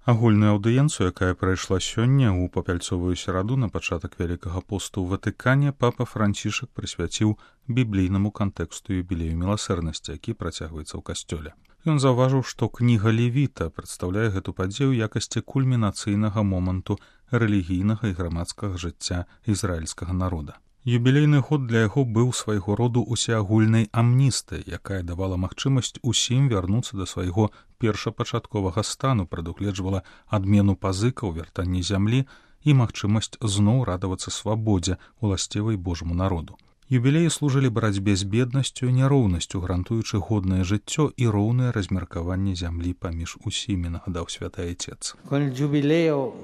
Агульную аўдыенцыю, якая прайшла сёння ў папяльцовую сераду на пачатак Вялікага посту ў Ватыкане, папа Францішак прысвяціў біблійнаму кантэксту юбілею міласэрнасці, які працягваецца ў касцёле. Ён заўважыў, што кніга Левіта прадстаўляе гэту падзею ў якасці кульмінацыйнага моманту рэлігійнага і грамадскага жыцця ізраільскага народа. Юбілейны год для яго быў свайго роду усеагульнай амністыяй, якая давала магчымасць усім вярнуцца да свайго першапачатковага стану, прадугледжвала адмену пазыкаў, вяртанне зямлі і магчымасць зноў радавацца свабодзе, уласцівай Божаму народу. Юбілеі служылі барацьбе з беднасцю і няроўнасцю, гарантуючы годнае жыццё і роўнае размеркаванне зямлі паміж усімі, нагадаў святы Айцец. Con il giubileo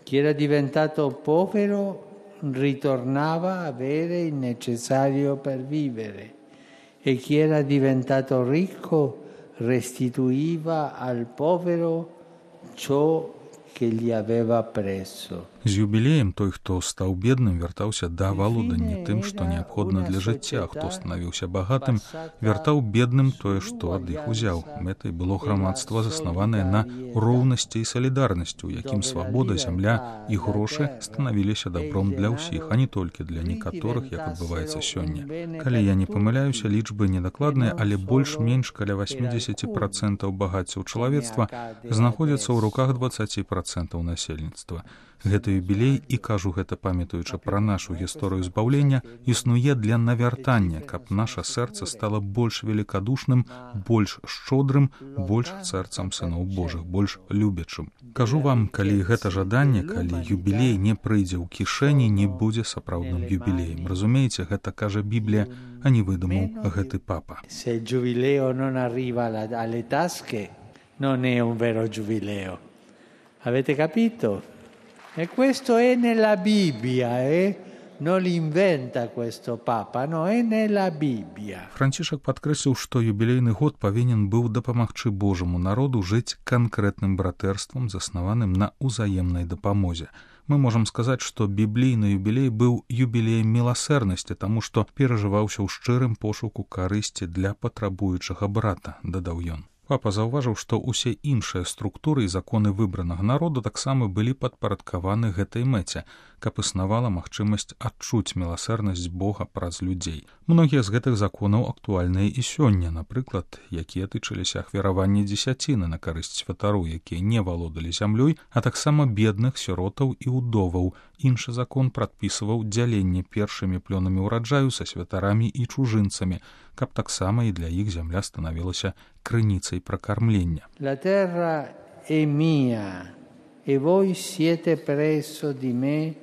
chi era diventato povero ritornava a avere il necessario per vivere e chi era diventato ricco restituiva al povero ciò che gli aveva preso. З юбілеем той, хто стаў бедным, вяртаўся да валодання тым, што неабходна для жыцця, хто станавіўся багатым, вяртаў бедным тое, што ад іх узяў. Мэтай было грамадства, заснаванае на роўнасці і салідарнасці, у якім свабода, зямля і грошы станавіліся дабром для ўсіх, а не толькі для некаторых, як адбываецца сёння. Калі я не памыляюся, лічбы недакладныя, але больш-менш каля 80% багацця ў чалавецтва знаходзяцца ў руках 20% насельніцтва. Гэты юбілей, і кажу гэта памятаючы пра нашу гісторыю збаўлення, існуе для навяртання, каб наша сэрца стала больш великадушным, больш шчодрым, больш сэрцам сыноў Божых, больш любячым. Кажу вам, калі гэта жаданне, калі юбілей не прыйдзе ў кішэні, не будзе сапраўдным юбілеем. Разумееце, гэта кажа Біблія, а не выдумаў гэты папа. Se il giubileo non arriva alle tasche, non è un vero giubileo. Avete capito? E questo è nella Bibbia, non l'inventa questo Papa, no, è nella Bibbia. Францішак падкрэсліў, што юбілейны год павінен быў дапамагчы Божаму народу жыць канкрэтным братэрствам, заснаваным на ўзаемнай дапамозе. Мы можам сказаць, што біблійны юбілей быў юбілеем міласэрнасці, таму што перажываўся ў шчырым пошуку карысці для патрабуючага брата, дадаў ён. Папа заўважыў, што ўсе іншыя структуры і законы выбранага народу таксама былі падпарадкаваны гэтай мэце, каб існавала магчымасць адчуць міласэрнасць Бога праз людзей. Многія з гэтых законаў актуальныя і сёння, напрыклад, якія тычыліся ахвяравання дзесяціны на карысць святару, якія не валодалі зямлёй, а таксама бедных, сіротаў і ўдоваў. Іншы закон прадпісваў дзяленне першымі плёнамі ўраджаю са святарамі і чужынцамі, каб таксама і для іх зямля станавілася крыніцай пракармлення. La terra è mia e voi siete presso di me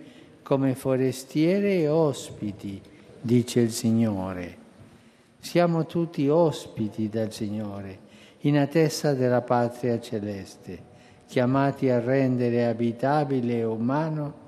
come forestieri e ospiti, dice il Signore. Siamo tutti ospiti dal Signore, in attesa della patria celeste, chiamati a rendere abitabile e umano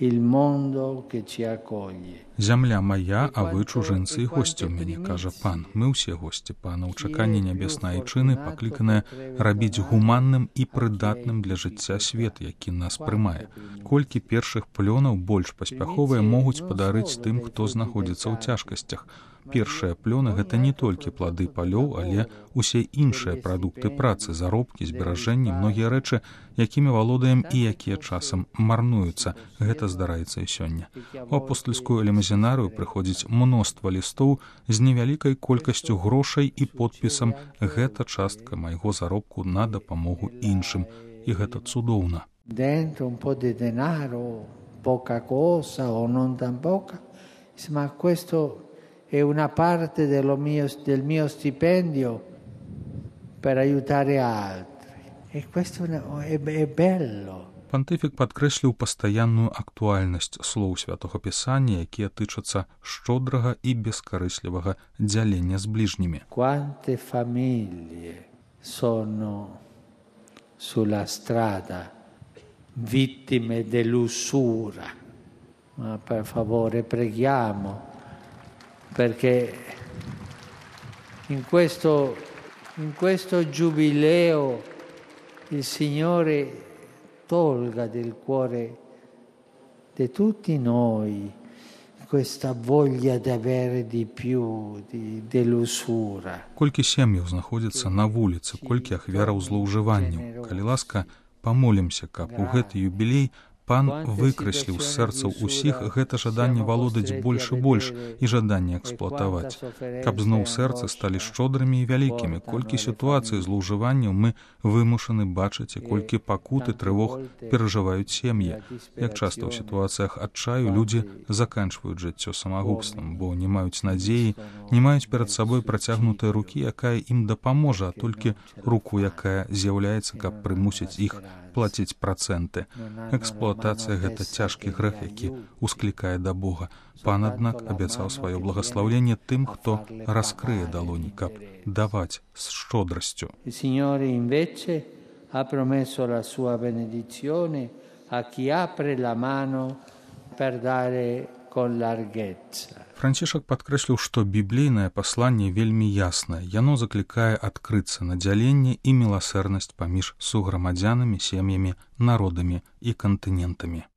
il mondo che ci accoglie. Зямля моя, а вы чужынцы і госці ў мяне, кажа пан. Мы ўсе госці пана ў чаканні нябеснай айчыны, пакліканае рабіць гуманным і прыдатным для жыцця свет, які нас прымае. Колькі першых плёнаў больш паспяховыя могуць падарыць тым, хто знаходзіцца ў цяжкасцях. Першыя плёны — гэта не толькі плады палёў, але усе іншыя прадукты працы, заробкі, зберажэнні, многія рэчы, якімі валодаем і якія часам марнуюцца. Гэта здараецца і сёння. У апостальскую лімузінарыю прыходзіць мноства лістоў з невялікай колькасцю грошай і подпісам «Гэта частка майго заробку на дапамогу іншым». І гэта цудоўна. Dentro un po' di denaro, poca cosa o non tan poca, ma questo è una parte del mio stipendio per aiutare altri. E questo è bello. Пантыфік падкрэсліў пастаянную актуальнасць слоў святога Пісання, якія тычацца шчодрага і бескарыслівага дзялення з бліжнімі. Quante famiglie sono sulla strada vittime dell'usura. Ma per favore preghiamo perché in questo giubileo il Signore tolga del cuore di tutti noi questa voglia di avere di più, dell'usura. Колькі сем'яў знаходзіцца на вуліцы, колькі ахвяраў злоўжыванняў. Калі ласка, Памолімся, каб у гэты юбілей Пан выкрасліў з сэрцаў усіх гэта жаданне валодаць больш і больш і жаданне эксплуатаваць, каб зноў сэрцы сталі шчодрымі і вялікімі, колькі сітуацый злоўжыванняў мы вымушаны бачыць і колькі пакут і трывог перажываюць сем'і. Як часта ў сітуацыях адчаю людзі заканчваюць жыццё самагубствам, бо не маюць надзеі, не маюць перад сабой працягнутай рукі, якая ім дапаможа, а толькі руку, якая з'яўляецца, каб прымусіць іх плаціць працэнты. Эксплуатацыя — гэта цяжкі грэх, які усклікае да Бога. Пан, аднак, абяцаў сваё благаслаўленне тым, хто раскрые далоні, каб даваць з шчодрасцю. Il Signore invece ha promesso la sua benedizione a chi apre la mano per dare con larghezza. Францішак падкрэсліў, што біблійнае пасланне вельмі яснае. Яно заклікае адкрыцца на дзяленне і міласэрнасць паміж суграмадзянамі, сем'ямі, народамі і кантынентамі.